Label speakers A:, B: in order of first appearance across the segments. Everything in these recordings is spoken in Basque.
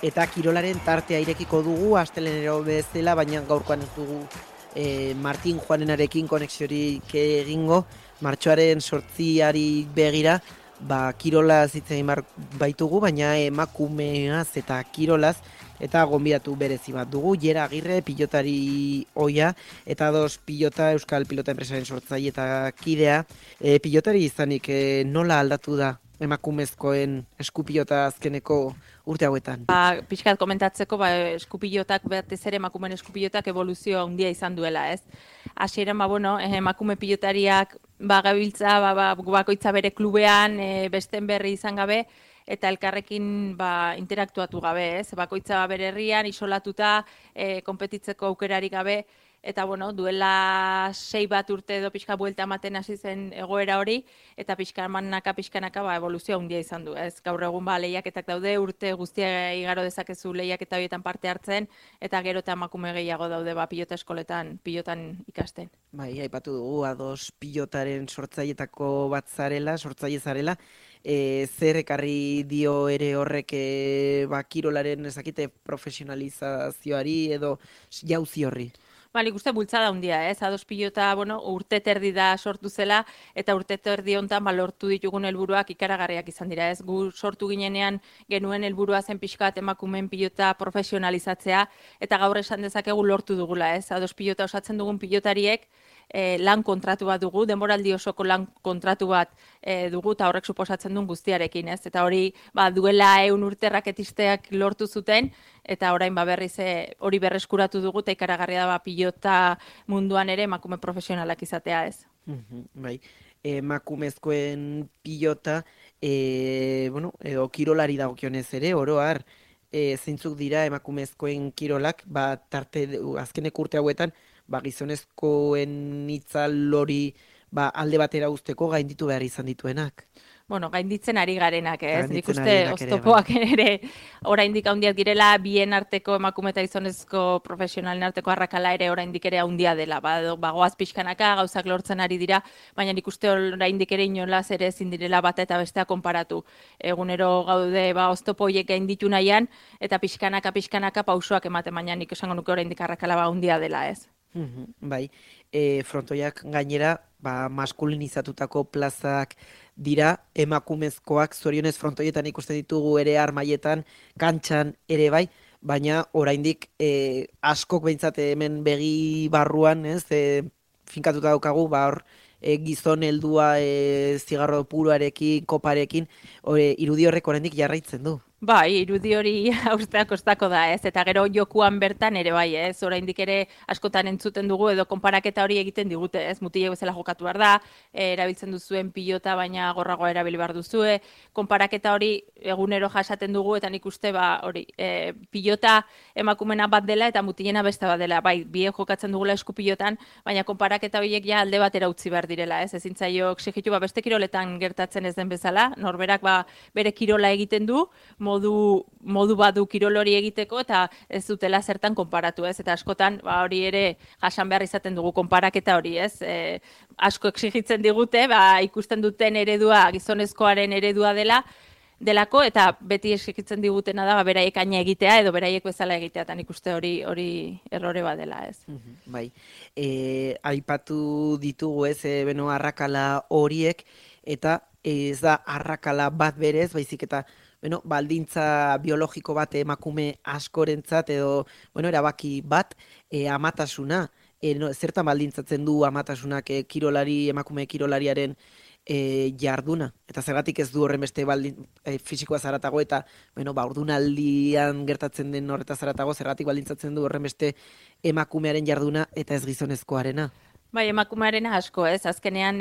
A: eta kirolaren tartea irekiko dugu, astelehenero bezala, baina gaurkoan ez dugu Martin Juanenarekin konexiorik egingo, martxoaren 8 begira, kirolaz hitz egin baitugu, baina emakumeaz eta kirolaz, eta gonbidatu berezi bat dugu, Jera Agirre, pilotari oia, eta pilota, Euskal Pilota Enpresaren sortzaile eta kidea. Pilotari izanik nola aldatu da emakumezkoen eskupilota azkeneko urte hauetan?
B: Pixkat komentatzeko, eskupilotak, batez ere emakumeen eskupilotak evoluzio handia izan duela, ez? Hasieran, emakume pilotariak gabiltza, bakoitza bere klubean, besten berri izan gabe, eta elkarrekin interaktuatu gabe, ez? Bakoitza bere herrian, isolatuta, konpetitzeko aukerarik gabe, eta duela 6 urte edo pixka buelta ematen hasi zen egoera hori, eta pixkanaka evoluzio handia izan du, ez? Gaur egun lehiaketak daude, urte guztia igaro dezakezu lehiaketa horietan parte hartzen, eta gero eta emakume gehiago daude pilota eskoletan, pilotan ikasten.
A: Bai, aipatu dugu, ados pilotaren sortzailetako bat sortzaile zarela, zer ekarri dio ere horrek kirolaren ezakite profesionalizazioari edo jauzi horri?
B: Nik uste bultzada handia, ez? Ados pilota, urte terdi da sortu zela, eta urte terdi hontan lortu ditugun helburuak ikaragarriak izan dira, ez? Gu sortu ginenean genuen helburua zen pixkat emakumeen pilota profesionalizatzea, eta gaur esan dezakegu lortu dugula, ez? Ados pilota osatzen dugun pilotariek lan kontratu bat dugu, denboraldi osoko lan kontratu bat dugu, eta horrek suposatzen duen guztiarekin, ez? Eta hori duela 100 urte raketisteak lortu zuten, eta orain berriz hori berreskuratu dugu, eta ikaragarria da pilota munduan ere emakume profesionalak izatea, ez?
A: Bai, emakumezkoen pilota, edo kirolari dagokionez ere, oro har, zeintzuk dira emakumezkoen kirolak, azkenek urte hauetan, gizonezkoen itzal hori alde batera usteko gainditu behar izan dituenak.
B: Gainditzen ari garenak, ez? Nik uste oztopoak ere oraindik handiak direla, bien arteko emakume eta gizonezko profesionalen arteko arrakala ere oraindik ere handia dela. Goaz pixkanaka, gauzak lortzen ari dira, baina nik uste oraindik ere inolaz ere ezin direla bata eta bestea konparatu. Egunero gaude oztopo horiek gainditu nahian, eta pixkanaka pausoak ematen, baina nik esango nuke oraindik arrakala handia dela, ez?
A: Bai, frontoiak gainera, maskulinizatutako plazak dira, emakumezkoak zorionez frontoietan ikusten ditugu ere armaietan, kantxan ere bai, baina oraindik askok behintzat hemen begi barruan, ez, finkatuta daukagu, hor gizon heldua zigarro puruarekin, koparekin, irudi horrek oraindik jarraitzen du.
B: Irudi hori haustea kostako da, ez? Eta gero jokuan bertan ere bai, ez? Oraindik ere askotan entzuten dugu edo konparaketa hori egiten digute, ez? Mutilek bezala jokatu behar da, erabiltzen duzuen pilota baina gorragoa erabili behar duzue, konparaketa hori egunero jasaten dugu, eta nik uste pilota emakumena bat dela eta mutilena beste bat dela, biek jokatzen dugula eskupilotan, baina konparaketa horiek ja alde batera utzi behar direla, ez? Ezin zaio exijitu beste kiroletan gertatzen ez den bezala, norberak bere kirola egiten du, modu badu kirol hori egiteko, eta ez dutela zertan konparatu, ez? Eta askotan hori ere jasan behar izaten dugu konparaketa hori, ez? Asko exigitzen digute, ikusten duten eredua, gizonezkoaren eredua delako, eta beti exigitzen digutena da beraiek aina egitea edo beraiek bezala egitea, eta nik uste hori errore badela, ez?
A: Bai, aipatu ditugu, ez, arrakala horiek, eta ez da arrakala bat berez, baizik eta baldintza biologiko bat emakume askorentzat edo erabaki bat amatasuna. Zertan baldintzatzen du amatasunak emakume kirolariaren jarduna? Eta zergatik ez du horren beste fisikoa zaratago eta ordunaldian gertatzen den horretaz zaratago, zergatik baldintzatzen du horren beste emakumearen jarduna eta ez gizonezkoarena?
B: Emakumearen asko, ez? Azkenean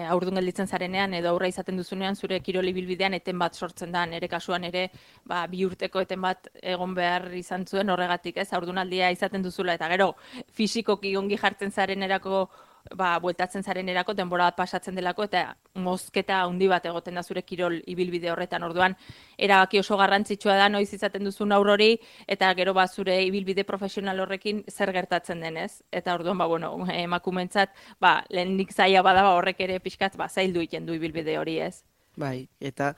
B: haurdun gelditzen zarenean edo aurra izaten duzunean zure kiroli bilbidean eten bat sortzen da, nire kasuan ere 2 urteko eten bat egon behar izan zuen horregatik, ez? Haurdunaldia izaten duzula, eta gero fisikoki ongi jartzen zarenerako bueltatzen zarenerako, denbora bat pasatzen delako, eta mozketa handi bat egoten da zure kirol ibilbide horretan. Orduan, erabaki oso garrantzitsua da noiz izaten duzun haur hori, eta gero zure ibilbide profesional horrekin zer gertatzen denez. Eta orduan, emakumentzat, lehenik zaila bada horrek ere pixkat zaildu egiten du ibilbide hori, ez?
A: Bai, eta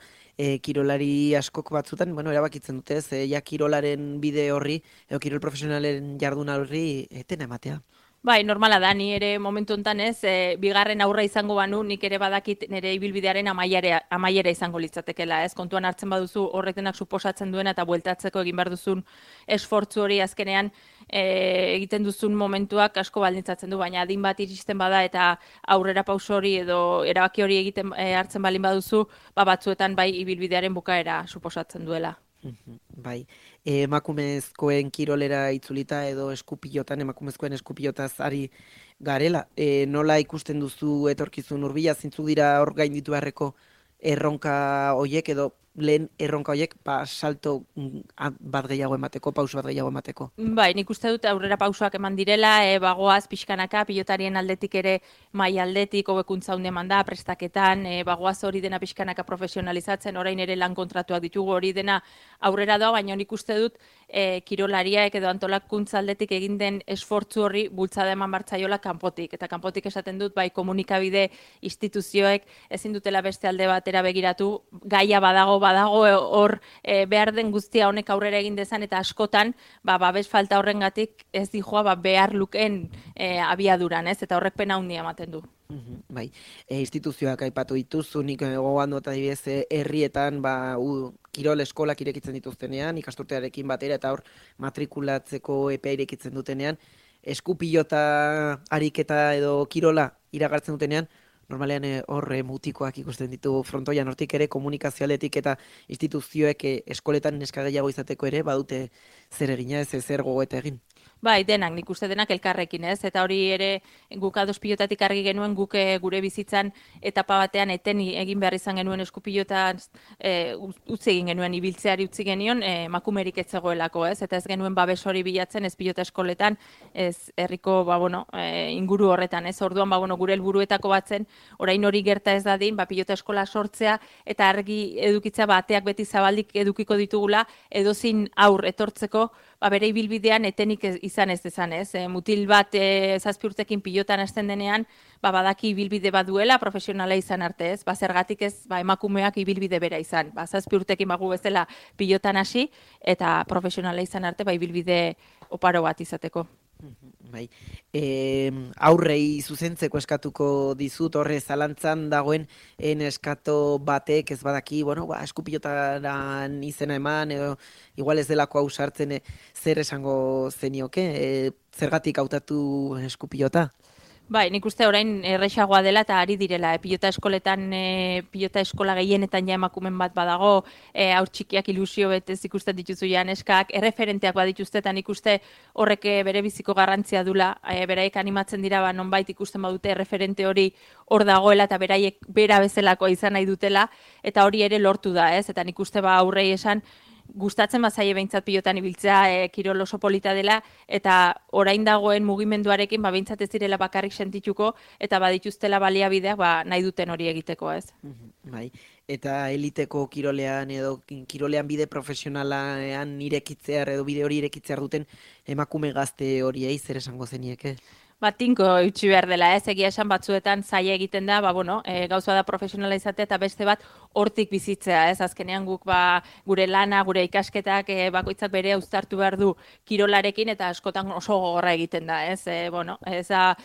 A: kirolari askok batzutan, bueno, erabakitzen dute, ez, ja kirolaren bide horri, edo kirol profesionalen jarduna horri, etena ematea.
B: Bai, normala da, ni ere momentu hontan ez, bigarren aurra izango banu, nik ere badakit nire ibilbidearen amaiera izango litzatekela, ez, kontuan hartzen baduzu horrek denak suposatzen duena eta bueltatzeko egin behar duzun esfortzu hori azkenean egiten duzun momentuak asko baldintzatzen du, baina adin bat iristen bada eta aurrera pauso hori edo erabaki hori egiten hartzen balin baduzu, batzuetan bai ibilbidearen bukaera suposatzen duela.
A: Bai, emakumezkoen kirolera itzulita edo eskupilotan, emakumezkoen eskupilotaz ari garela. Nola ikusten duzu etorkizun hurbila, zeintzuk dira hor gainditu beharreko erronka hoiek edo lehen erronka hoiek salto bat gehiago emateko, pauso bat gehiago emateko?
B: Bai, nik uste dut aurrera pausoak eman direla, bagoaz pixkanaka, pilotarien aldetik ere mai aldetik, hobekuntza hunde eman da, prestaketan, bagoaz hori dena pixkanaka profesionalizatzen, orain ere lan kontratuak ditugu hori dena aurrera doa, baina nik uste dut kirolariak edo antolakuntza aldetik egin den esfortzu horri bultzada eman bartzaiola kanpotik. Eta kanpotik esaten dut, bai komunikabide instituzioek ezin dutela beste alde batera begiratu, gaia badago hor behar den guztia honek aurrera egin dezan eta askotan babes falta horrengatik ez dijoa behar lukeen abiaduran, ez? Eta horrek pena handia ematen du.
A: Bai, instituzioak aipatu dituzu, nik gogoan dut adibidez herrietan kirol eskolak irekitzen dituztenean, ikasturtearekin batera eta hor matrikulatzeko epea irekitzen dutenean, eskupilota ariketa edo kirola iragartzen dutenean, normalean hor mutikoak ikusten ditu frontoian, hortik ere komunikazioaletik eta instituzioek eskoletan neska gehiago izateko ere badute zer egina, ez zer gogoeta egin.
B: Bai, denak, nik uste denak elkarrekin, ez? Eta hori ere guk ados pilotatik argi genuen, guk gure bizitzan etapa batean eten egin behar izan genuen eskupilotan utzi egin genuen, ibiltzeari utzi genion, emakumerik ez zegoelako, ez? Eta ez genuen babes hori bilatzen, ez pilota eskoletan, ez herriko inguru horretan, ez? Orduan, gure helburuetako batzen, orain hori gerta ez dadin, pilota eskola sortzea, eta argi edukitzea ateak beti zabaldik edukiko ditugula, edozin aur etortzeko, bere ibilbidean etenik izan ez dezan, ez? Mutil bat 7 urtekin pilotan hasten denean, badaki ibilbide bat duela, profesionala izan arte, ez? Zergatik ez emakumeak ibilbide bera izan. 7 urtekin bagu bezala pilotan hasi eta profesionala izan arte, ibilbide oparo bat izateko.
A: Bai, aurrei zuzentzeko eskatuko dizut, horre zalantzan dagoen eskato batek ez badaki, eskupilotaran izena eman, edo igual ez delako hau sartzen zer esango zenioke, zergatik hautatu eskupilota?
B: Bai, nik uste orain erresagoa dela eta ari direla. Pilota eskoletan, pilota eskola gehienetan ja emakumen bat badago, haur txikiak ilusio betez ikusten dituzu ja neskak, erreferenteak badituzte eta nik uste horrek bere biziko garrantzia dula, beraiek animatzen dira nonbait ikusten badute erreferente hori hor dagoela eta beraiek bera bezalako izan nahi dutela eta hori ere lortu da, ez? Eta nik uste aurrei esan, gustatzen bazaie behintzat pilotan ibiltzea, kirol oso polita dela, eta orain dagoen mugimenduarekin behintzat ez direla bakarrik sentituko, eta badituztela baliabideak nahi duten hori egiteko, ez?
A: Bai, eta eliteko kirolean edo kirolean bide profesionalean irekitzear edo bide hori irekitzear duten emakume gazte horiei zer esango zenieke?
B: Tinko utzi behar dela, ez? Egia esan batzuetan zaila egiten da, gauza da profesionala izatea eta beste bat hortik bizitzea, ez? Azkenean guk gure lana, gure ikasketak bakoitzak bere uztartu behar du kirolarekin eta askotan oso gogorra egiten da, ez? Ez da,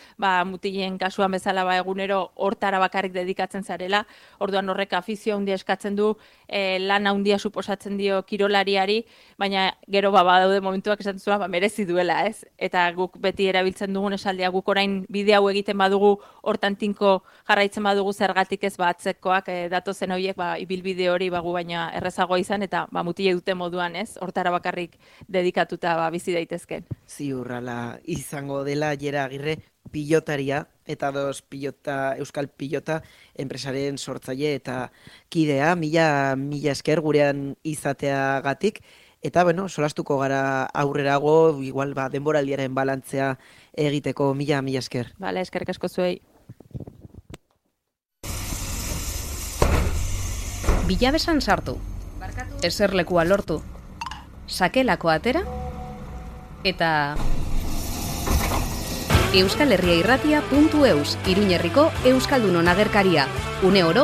B: mutilen kasuan bezala egunero hortara bakarrik dedikatzen zarela, orduan horrek afizio handia eskatzen du, lana handia suposatzen dio kirolariari, baina gero badaude momentuak esaten zuen merezi duela, ez? Eta guk beti erabiltzen dugun esaldia, guk orain bide hau egiten badugu, hortan tinko jarraitzen badugu zergatik ez atzekoak datozen horiek ibilbide hori baina errezagoa izan eta mutile dute moduan, ez? Hortara bakarrik dedikatuta bizi daitezken.
A: Ziurrala izango dela Jera Agirre pilotaria eta euskal pilota enpresaren sortzaile eta kidea, mila esker gurean izateagatik. Eta, solastuko gara aurrerago, igual denboraldiaren balantzea egiteko, mila esker.
B: Bale, eskerrik asko zuei.
C: Bilabesan sartu, eserlekua lortu, sakelako atera, eta euskalherriairratia.eus, Iruñerriko Euskaldunon agerkaria, une oro